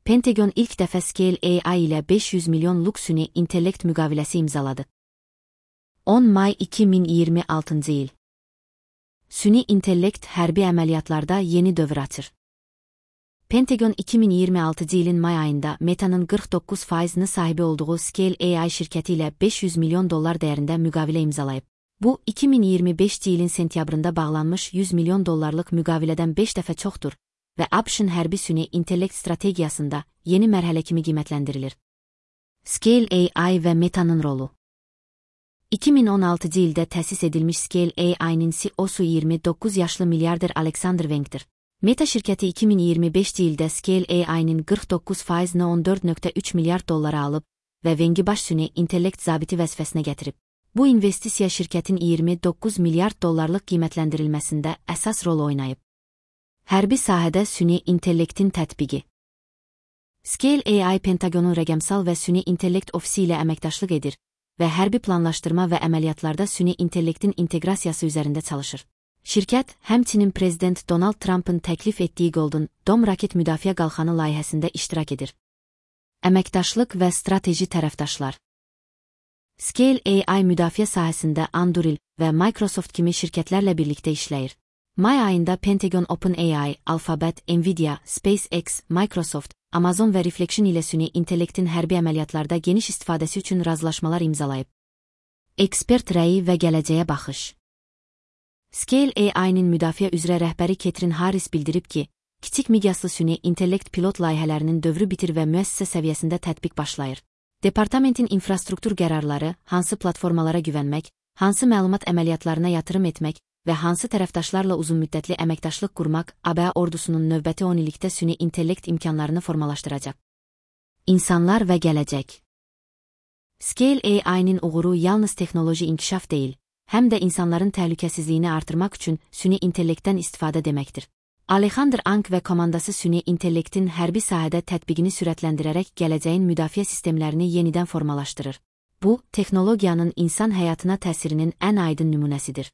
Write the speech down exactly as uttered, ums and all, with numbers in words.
Pentagon ilk dəfə Scale A I ilə beş yüz milyonluq süni intellekt müqaviləsi imzaladı. on may iki min iyirmi altıncı il. Süni intellekt hərbi əməliyyatlarda yeni dövr açır. Pentagon iki min iyirmi altıncı ilin may ayında Meta'nın qırx doqquz faizini sahibi olduğu Scale A I şirkəti ilə beş yüz milyon dollar dəyərində müqavilə imzalayıb. Bu, iki min iyirmi beşinci ilin sentyabrında bağlanmış yüz milyon dollarlıq müqavilədən beş dəfə çoxdur və ABŞ-ın hərbi süni intellekt strategiyasında yeni mərhələ kimi qiymətləndirilir. Scale A I və Meta'nın rolu. iki min on altıncı ildə təsis edilmiş Scale A I-nin C E O-su iyirmi doqquz yaşlı milyarder Alexander Wang'dir. Meta şirkəti iki min iyirmi beşinci ildə Scale A I-nin qırx doqquz faizini on dörd nöqtə üç milyard dollara alıb və Wang'i baş süni intellekt zabiti vəzifəsinə gətirib. Bu investisiya şirkətin iyirmi doqquz milyard dollarlıq qiymətləndirilməsində əsas rol oynayıb. Hərbi sahədə süni intellektin tətbiqi. Scale A I Pentagonun rəqəmsal və süni intellekt ofisi ilə əməkdaşlıq edir və hərbi planlaşdırma və əməliyyatlarda süni intellektin inteqrasiyası üzərində çalışır. Şirkət, həmçinin Prezident Donald Trump'ın təklif etdiyi Golden Dome raket müdafiə qalxanı layihəsində iştirak edir. Əməkdaşlıq və strateji tərəfdaşlar. Scale A I müdafiə sahəsində Anduril və Microsoft kimi şirkətlərlə birlikdə işləyir. May ayında Pentagon OpenAI, Alphabet, Nvidia, SpaceX, Microsoft, Amazon və Reflection ilə süni intellektin hərbi əməliyyatlarda geniş istifadəsi üçün razılaşmalar imzalayıb. Ekspert rəyi və gələcəyə baxış. Scale A I-nin müdafiə üzrə rəhbəri Catherine Harris bildirib ki, kiçik miqyaslı süni intellekt pilot layihələrinin dövrü bitir və müəssisə səviyyəsində tətbiq başlayır. Departamentin infrastruktur qərarları, hansı platformalara güvənmək, hansı məlumat əməliyyatlarına yatırım etmək və hansı tərəfdaşlarla uzunmüddətli əməkdaşlıq qurmaq A B A ordusunun növbəti on illikdə süni intellekt imkanlarını formalaşdıracaq. İnsanlar və gələcək. Scale A I-nin uğuru yalnız texnoloji inkişaf deyil, həm də insanların təhlükəsizliyini artırmaq üçün süni intellektdən istifadə deməkdir. Alexander Ang və komandası süni intellektin hərbi sahədə tətbiqini sürətləndirərək gələcəyin müdafiə sistemlərini yenidən formalaşdırır. Bu, texnologiyanın insan həyatına təsirinin ən aydın nümunəsidir.